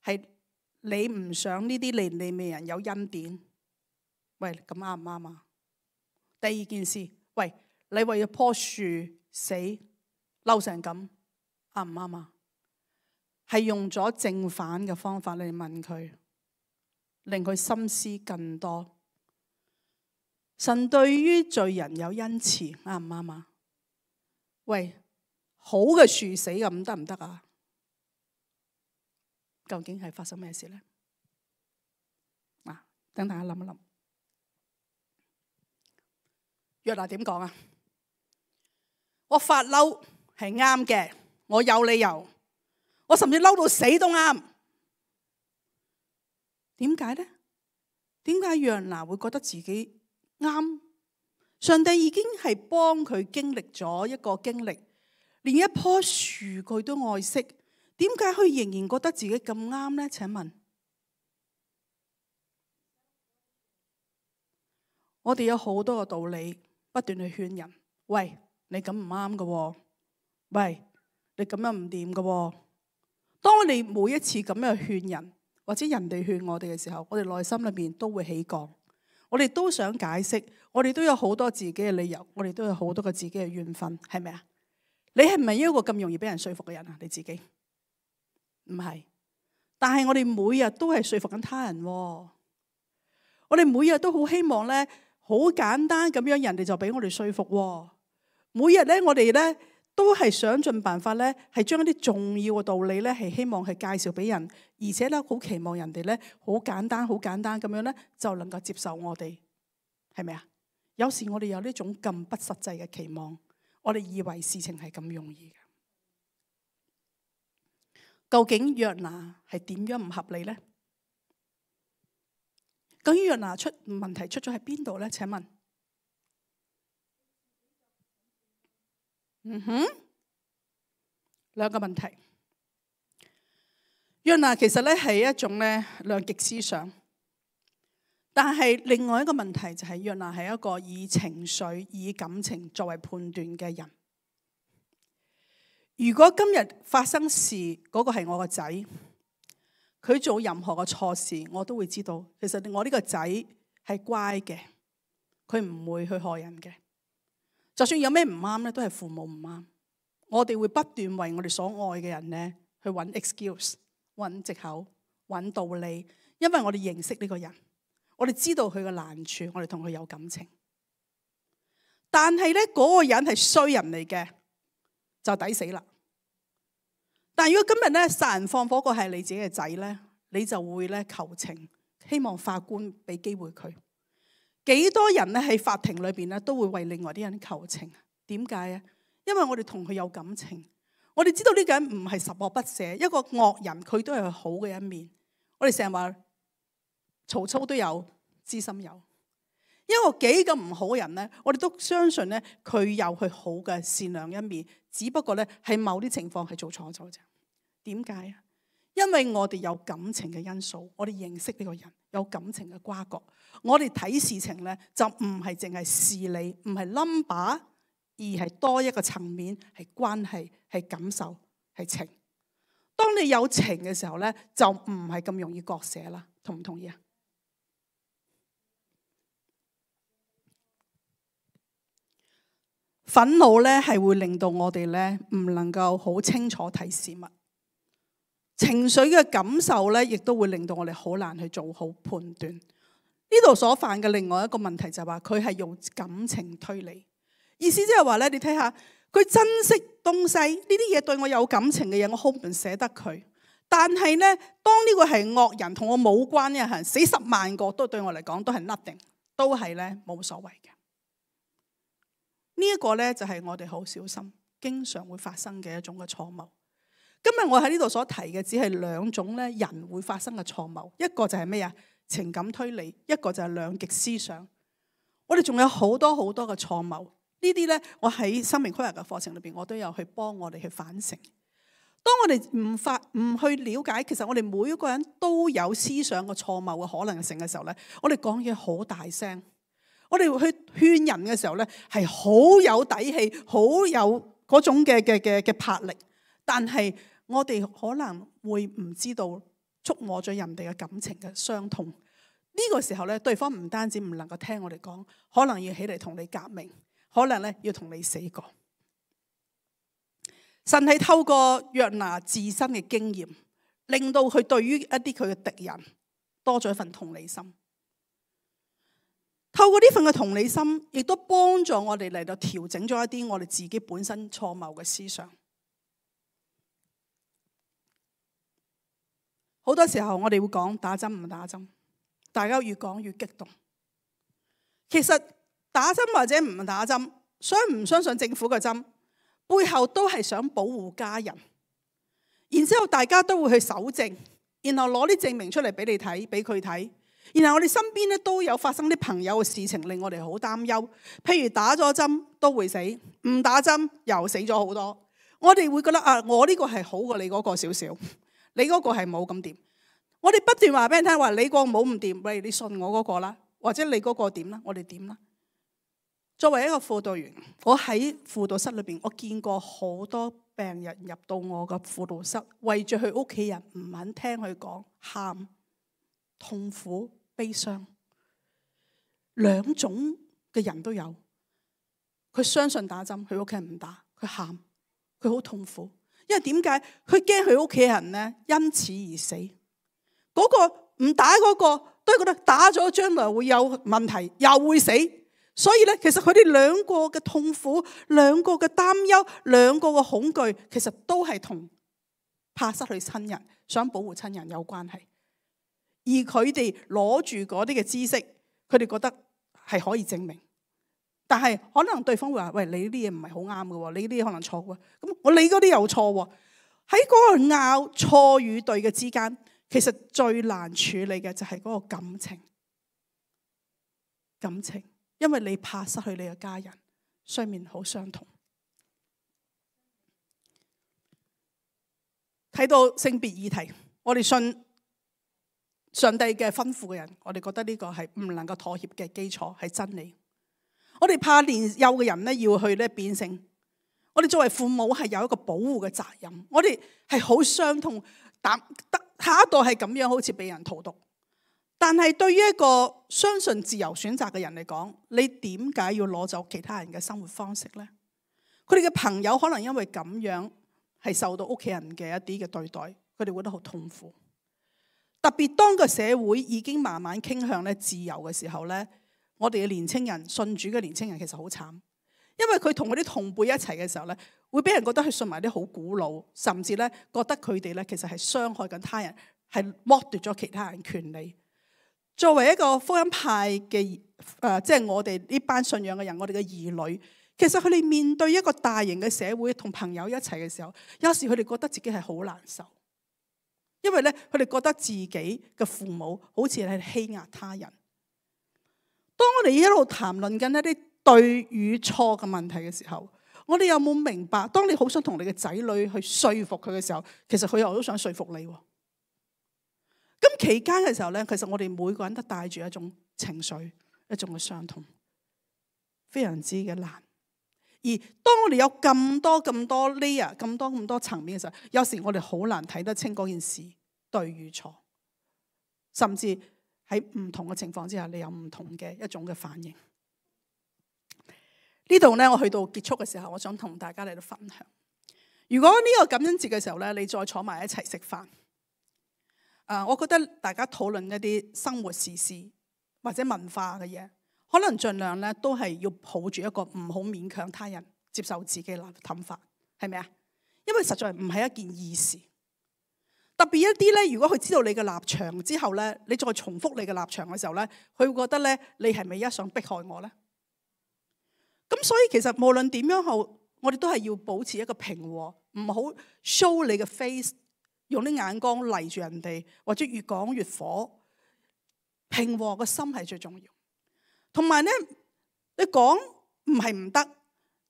係你唔想呢啲尼尼微人有恩典？喂，咁啱唔啱啊？第二件事，喂，你為咗棵樹死嬲成咁，啱唔啱啊？係用咗正反嘅方法嚟問佢，令佢深思更多。神對於罪人有恩慈，啱唔啱啊？喂，好嘅樹死咁得唔得啊？究竟係發生咩事呢？等大家諗一諗。約拿點講啊？我發嬲係啱嘅，我有理由，我甚至嬲到死都啱。點解呢？點解約拿會覺得自己啱？上帝已經係幫佢經歷咗一個經歷，連一棵樹佢都愛惜，點解佢仍然覺得自己咁啱呢？請問，我哋有好多個道理不斷去勸人，喂，你咁唔啱㗎，喂，你咁樣唔掂㗎。當我哋每一次咁樣去勸人，或者人哋勸我哋嘅時候，我哋內心裏面都會起降，我哋都想解釋，我哋都有好多自己嘅理由，我哋都有好多個自己嘅怨憤，係咪啊？你係唔係一個咁容易俾人說服嘅人啊？你自己唔係，但係我哋每日都係說服緊他人。我哋每日都好希望咧，好簡單咁樣，人哋就俾我哋說服。每日咧，我哋咧都係想盡辦法咧，係將一啲重要嘅道理咧，係希望係介紹俾人，而且咧好期望人哋咧好簡單咁樣咧，就能夠接受我哋，係咪啊？有時我哋有呢種咁不實際嘅期望，我哋以為事情係咁容易嘅。究竟約拿係點樣唔合理呢？究竟約拿問題出咗喺邊度呢？請問，兩個問題。約拿其實咧係一種咧兩極思想，但係另外一個問題就係約拿係一個以情緒、以感情作為判斷嘅人。如果今日發生事，嗰個係我個仔，佢做任何嘅錯事，我都會知道，其實我呢個仔係乖嘅，佢唔會去害人嘅。就算有咩唔啱咧，都係父母唔啱。我哋會不斷為我哋所愛嘅人咧去揾 excuse、揾藉口、揾道理，因為我哋認識呢個人，我哋知道佢嘅難處，我哋同佢有感情。但係咧嗰個人係衰人嚟嘅，就抵死啦。但係如果今日咧殺人放火個係你自己嘅仔咧，你就會咧求情，希望法官俾機會佢。幾多人咧喺法庭裏邊咧都會為另外啲人求情？點解啊？因為我哋同佢有感情，我哋知道呢個人唔係十惡不赦，一個惡人佢都有好嘅一面。我哋成日話曹操都有知心友，一個幾咁唔好嘅人呢，我哋都相信呢，佢有佢好嘅善良一面，只不過呢，係某啲情況係做錯咗啫。點解啊？因為我哋有感情嘅因素，我哋認識呢個人，有感情嘅瓜葛，我哋睇事情呢，就唔係淨係事理，唔係 number， 而係多一個層面，係關係，係感受，係情。當你有情嘅時候呢，就唔係咁容易割捨啦。同唔同意啊？憤怒咧係會令到我哋咧唔能夠好清楚睇事物，情緒嘅感受咧亦都會令到我哋好難去做好判斷。呢度所犯嘅另外一個問題就係話佢係用感情推理，意思即係話咧，你睇下佢珍惜東西呢啲嘢對我有感情嘅嘢，我好唔捨得佢。但係咧，當呢個係惡人同我冇關嘅人，死10萬個都對我嚟講都係 nothing， 都係咧冇所謂嘅。呢一個咧就係我哋好小心，經常會發生嘅一種嘅錯謬。今日我喺呢度所提嘅只係兩種咧人會發生嘅錯謬，一個就係咩啊？情感推理，一個就係兩極思想。我哋仲有好多好多嘅錯謬，呢啲咧我喺生命規劃嘅課程裏邊，我都有去幫我哋去反省。當我哋唔去了解，其實我哋每一個人都有思想嘅錯謬嘅可能性嘅時候咧，我哋講嘢好大聲，我哋去勸人嘅時候咧係好有底氣，好有嗰種嘅魄力，但係我哋可能會唔知道觸摸咗人哋嘅感情嘅傷痛。呢個時候咧，對方唔單止唔能夠聽我哋講，可能要起嚟同你革命，可能咧要同你死過。神係透過約拿自身嘅經驗，令到佢對於一啲佢嘅敵人多咗一份同理心。透過呢份嘅同理心，亦都幫助我哋嚟到調整咗一啲我哋自己本身錯謬嘅思想。好多時候我哋會講打針唔打針，大家越講越激動。其實打針或者唔打針，相唔相信政府嘅針，背後都係想保護家人，然之後大家都會去搜證，然後攞啲證明出嚟俾你睇，俾佢睇。然後我哋身邊咧都有發生啲朋友嘅事情，令我哋好擔憂。譬如打咗針都會死，唔打針又死咗好多。我哋會覺得啊，我呢個係好過你嗰個少少，你嗰個係冇咁掂。我哋不斷話俾人聽話，你個冇唔掂，喂，你信我嗰個啦，或者你嗰個點啦，我哋點啦。作為一個輔導員，我喺輔導室裏邊，我見過好多病人入到我嘅輔導室，為住佢屋企人唔肯聽佢講，喊、痛苦、悲傷，兩種嘅人都有。佢相信打針，佢屋企人唔打，佢喊，佢好痛苦。因為點解？佢驚佢屋企人呢因此而死。嗰個唔打嗰個都係覺得打咗將來會有問題，又會死。所以咧，其實佢哋兩個嘅痛苦、兩個嘅擔憂、兩個嘅恐懼，其實都係同怕失去親人、想保護親人有關係。而佢哋攞住嗰啲嘅知識，佢哋覺得係可以證明。但係可能對方會話：喂，你呢啲嘢唔係好啱嘅喎，你呢啲可能錯嘅。咁我你嗰啲又錯喎。喺嗰個拗錯與對嘅之間，其實最難處理嘅就係嗰個感情。感情。因為你怕失去你嘅家人，雙面好相同。睇到性別議題，我哋信上帝嘅吩咐嘅人，我哋覺得呢個係唔能夠妥協嘅基礎，係真理。我哋怕年幼嘅人咧要去咧變性，我哋作為父母係有一個保護嘅責任。我哋係好傷痛，但下一代係咁樣，好似被人荼毒。但係對於一個相信自由選擇嘅人嚟講，你點解要攞走其他人嘅生活方式呢？佢哋嘅朋友可能因為咁樣係受到屋企人嘅一啲嘅對待，佢哋會覺得好痛苦。特別當個社會已經慢慢傾向咧自由嘅時候咧，我哋嘅年青人，信主嘅年青人其實好慘，因為佢同佢啲同輩一齊嘅時候咧，會俾人覺得佢信埋啲好古老，甚至咧覺得佢哋咧其實係傷害緊他人，係剝奪咗其他人權利。作為一個福音派嘅即係我哋呢班信仰嘅人，我哋嘅兒女，其實佢哋面對一個大型嘅社會，同朋友一齊嘅時候，有時佢哋覺得自己係好難受，因為咧佢哋覺得自己嘅父母好似係欺壓他人。當我哋一路談論緊一啲對與錯嘅問題嘅時候，我哋有冇明白？當你好想同你嘅仔女去說服佢嘅時候，其實佢又都想說服你。咁期間嘅時候咧，其實我哋每個人都帶住一種情緒，一種嘅傷痛，非常之嘅難。而當我哋有咁多 layer、咁多層面嘅時候，有時我哋好難睇得清嗰件事對與錯，甚至喺唔同嘅情況之下，你有唔同嘅一種嘅反應。呢度咧，我去到結束嘅時候，我想同大家嚟到分享。如果呢個感恩節嘅時候咧，你再坐埋一齊食飯，我覺得大家討論一啲生活時事或者文化嘅嘢，可能盡量咧都係要抱住一個唔好勉強他人接受自己嘅諗法，係咪啊？因為實在唔係一件易事。特別一啲咧，如果佢知道你嘅立場之後咧，你再重複你嘅立場嘅時候咧，佢會覺得咧，你係咪一想迫害我咧？咁所以其實無論點樣好，我哋都係要保持一個平和，唔好 show 你嘅 face， 用啲眼光嚟住人哋，或者越講越火。平和個心係最重要。同埋咧，你講唔係唔得，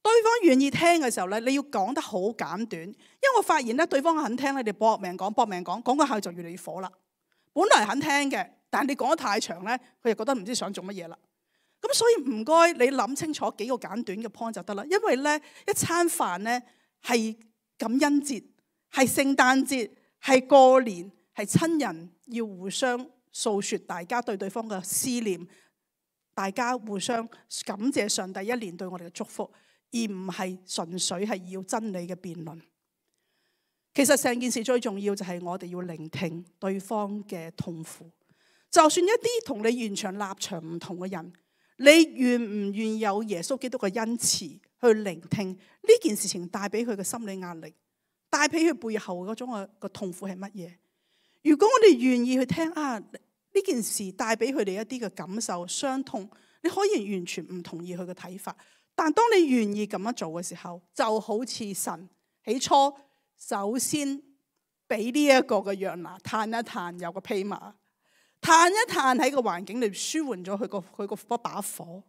對方願意聽嘅時候咧，你要講得好簡短。因為我發現咧，對方肯聽咧，你搏命講，講個下就越嚟越火啦。本來肯聽嘅，但係你講得太長咧，佢就覺得唔知想做乜嘢啦。咁所以唔該，你諗清楚幾個簡短嘅 point 就得啦。因為咧，一餐飯咧係感恩節，係聖誕節，係過年，係親人要互相訴說大家對對方嘅思念，大家互相感謝上帝一年對我哋嘅祝福，而唔係純粹係要真理嘅辯論。其實成件事最重要就係我哋要聆聽對方嘅痛苦，就算一啲同你完全立場唔同嘅人。你願唔願意有耶穌基督嘅恩慈去聆聽呢件事情帶俾佢嘅心理壓力，帶俾佢背後嗰種嘅痛苦係乜嘢？如果我哋願意去聽呢件事帶俾佢哋一啲嘅感受傷痛，你可以完全唔同意佢嘅睇法，但當你願意咁樣做嘅時候，就好似神起初首先俾呢一個嘅約拿嘆一嘆，有個蓖麻。嘆一嘆喺個環境裏舒緩咗佢個把火，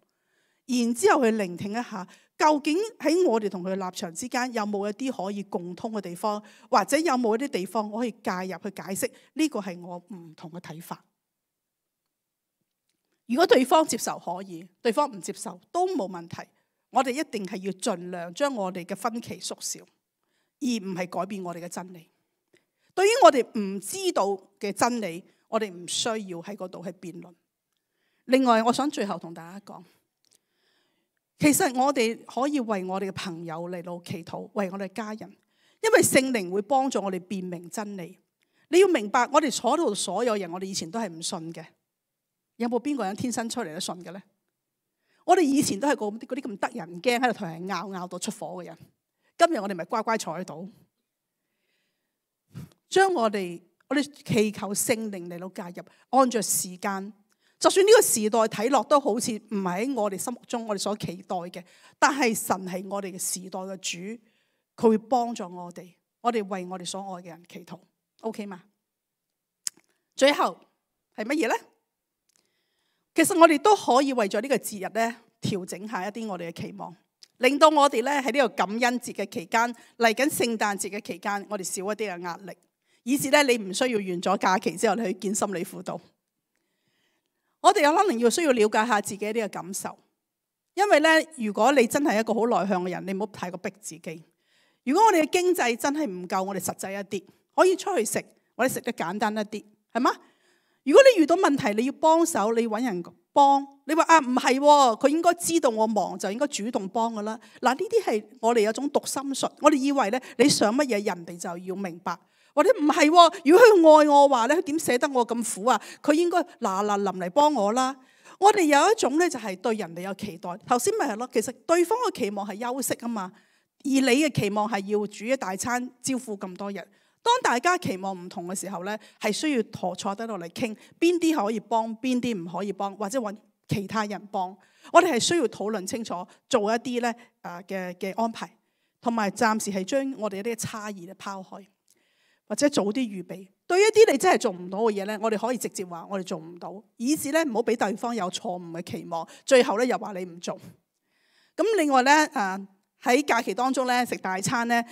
然之後去聆聽一下，究竟喺我哋同佢立場之間有冇一啲可以共通嘅地方，或者有冇一啲地方我可以介入去解釋呢個係我唔同嘅睇法。如果對方接受可以，對方唔接受都冇問題。我哋一定係要盡量將我哋嘅分歧縮小，而唔係改變我哋嘅真理。對於我哋唔知道嘅真理，我哋唔需要喺嗰度去辯論。另外，我想最後同大家講，其實我哋可以為我哋嘅朋友嚟到祈禱，為我哋嘅家人，因為聖靈會幫助我哋辨明真理。你要明白，我哋坐度所有人，我哋以前都係唔信嘅。有冇邊個人天生出嚟都信嘅咧？我哋以前都係嗰啲咁得人驚喺度同人拗到出火嘅人。今日我哋咪乖乖坐喺度，將我哋祈求聖靈嚟到介入，按着時間，就算呢個時代睇落都好似唔係喺我哋心目中我哋所期待嘅，但係神係我哋嘅時代嘅主，佢會幫助我哋為我哋所愛嘅人祈禱 ，OK 嗎？最後係乜嘢咧？其實我哋都可以為咗呢個節日咧調整下一啲我哋嘅期望，令到我哋咧喺呢個感恩節嘅期間，嚟緊聖誕節嘅期間，我哋少一啲嘅壓力。以至咧，你唔需要完咗假期之後你去見心理輔導。我哋有可能要需要了解下自己一啲嘅感受，因為咧，如果你真係一個好內向嘅人，你唔好太過逼自己。如果我哋嘅經濟真係唔夠，我哋實際一啲，可以出去食，我哋食得簡單一啲，係嘛？如果你遇到問題，你要幫手，你揾人幫。你話唔係，佢應該知道我忙，就應該主動幫噶啦。嗱，呢啲係我哋有種讀心術，我哋以為咧，你想乜嘢，人哋就要明白。或者唔係，如果佢愛我話咧，佢點捨得我咁苦啊？佢應該嗱臨嚟幫我啦。我哋有一種咧，就係對人哋有期待。頭先咪係咯，其實對方嘅期望係休息啊嘛，而你嘅期望係要煮一大餐招呼咁多人。當大家期望唔同嘅時候咧，係需要坐低落嚟傾，邊啲可以幫，邊啲唔可以幫，或者揾其他人幫。我哋係需要討論清楚，做一啲咧嘅安排，同埋暫時係將我哋一啲差異咧拋開，或者早啲預備。對一啲你真係做唔到嘅嘢咧，我哋可以直接話我哋做唔到，以致咧唔好俾對方有錯誤嘅期望，最後咧又話你唔做。咁另外咧喺假期當中咧食大餐咧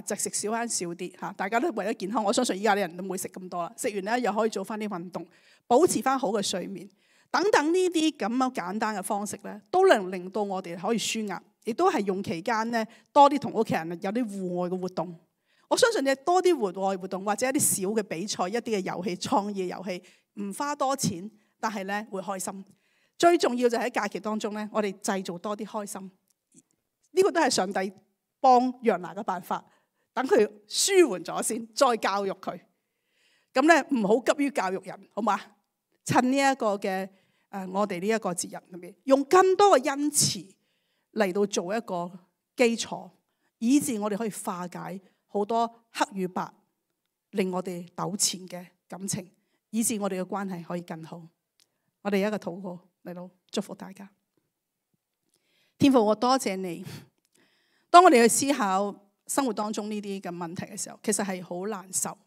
就食少啲少啲嚇，大家都為咗健康，我相信依家啲人都唔會食咁多啦。食完咧又可以做翻啲運動，保持翻好嘅睡眠。等等呢啲咁樣簡單嘅方式咧，都能令到我哋可以舒壓，亦都係用期間咧多啲同屋企人有啲戶外嘅活動。我相信你多啲戶外活動或者一啲小嘅比賽、一啲嘅遊戲、創意遊戲，唔花多錢，但係咧會開心。最重要就係喺假期當中咧，我哋製造多啲開心。呢個都係上帝幫約拿嘅辦法，等佢舒緩咗先，再教育佢。咁咧唔好急於教育人，好嘛？趁呢一個嘅我哋呢一個節日裏面，用更多嘅恩慈嚟到做一個基礎，以致我哋可以化解好多黑與白令我哋糾纏嘅感情，以致我哋嘅關係可以更好。我哋有一個禱告嚟到祝福大家。天父，我多謝你。當我哋去思考生活當中呢啲嘅問題嘅時候，其實係好難受，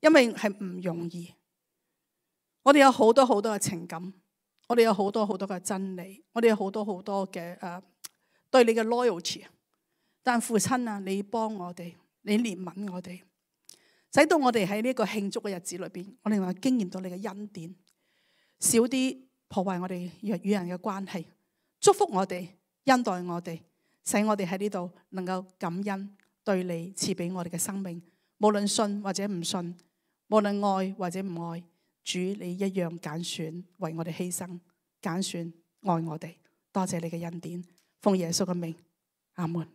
因為係唔容易。我哋有好多好多嘅情感，我哋有好多好多嘅真理，我哋有好多好多嘅對你嘅 loyalty。但父親啊，你幫我哋，你憐憫我哋，使到我哋喺呢個慶祝嘅日子裏邊，我哋話經驗到你嘅恩典，少啲破壞我哋與人嘅關係，祝福我哋，恩待我哋，使我哋喺呢度能夠感恩對你賜俾我哋嘅生命，無論信或者唔信，無論愛或者唔愛，主你一樣揀選為我哋犧牲，揀選愛我哋。多謝你嘅恩典，奉耶穌嘅名，阿門。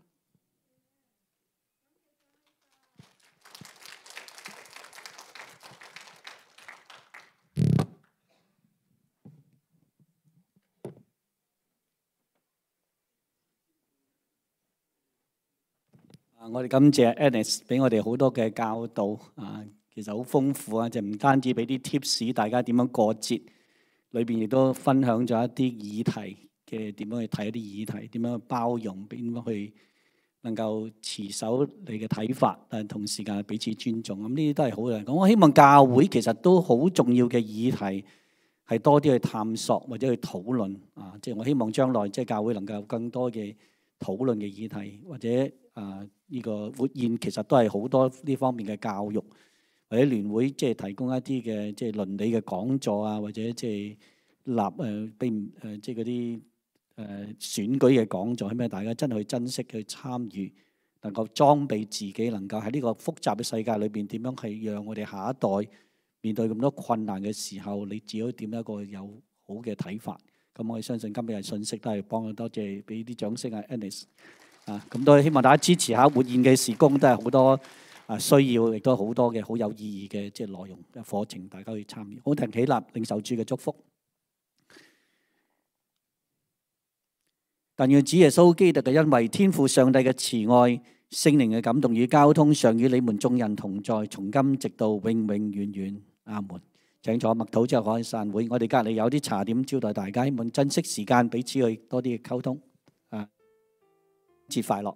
我哋感謝 Annis 俾我哋好多嘅教導啊，其實好豐富啊！就唔單止俾啲 tips， 大家點樣過節，裏邊亦都分享咗一啲議題嘅點樣去睇一啲議題，點樣去包容，點樣去能夠持守你嘅睇法，但係同時間彼此尊重。咁呢啲都係好嘅。咁我希望教會其實都好重要嘅議題係多啲去探索或者去討論啊！即係我希望將來即係教會能夠有更多嘅討論嘅議題，或者呢個活現其實都係好多呢方面嘅教育，或者聯會即係提供一啲嘅即係倫理嘅講座啊，或者即係即係嗰啲選舉嘅講座，係咪大家真係去珍惜去參與，能夠裝備自己，能夠喺呢個複雜嘅世界裏邊點樣係讓我哋下一代面對咁多困難嘅時候，你自己點一個有好嘅睇法。咁我哋相信今日嘅信息都係幫佢，多謝俾啲掌聲啊 Annis 啊，咁都希望大家支持下活現嘅事工，都係好多需要，亦都好多嘅好有意義嘅即係內容嘅課程，大家可以參與。好，停起立，領受主嘅祝福。但願主耶穌基督嘅恩惠、天父上帝嘅慈愛、聖靈嘅感動與交通，常與你們眾人同在，從今直到永永遠遠。阿門。請坐默禱之後可以散會。我哋隔離有啲茶點招待大家，希望珍惜時間，彼此去多啲嘅溝通。節快樂。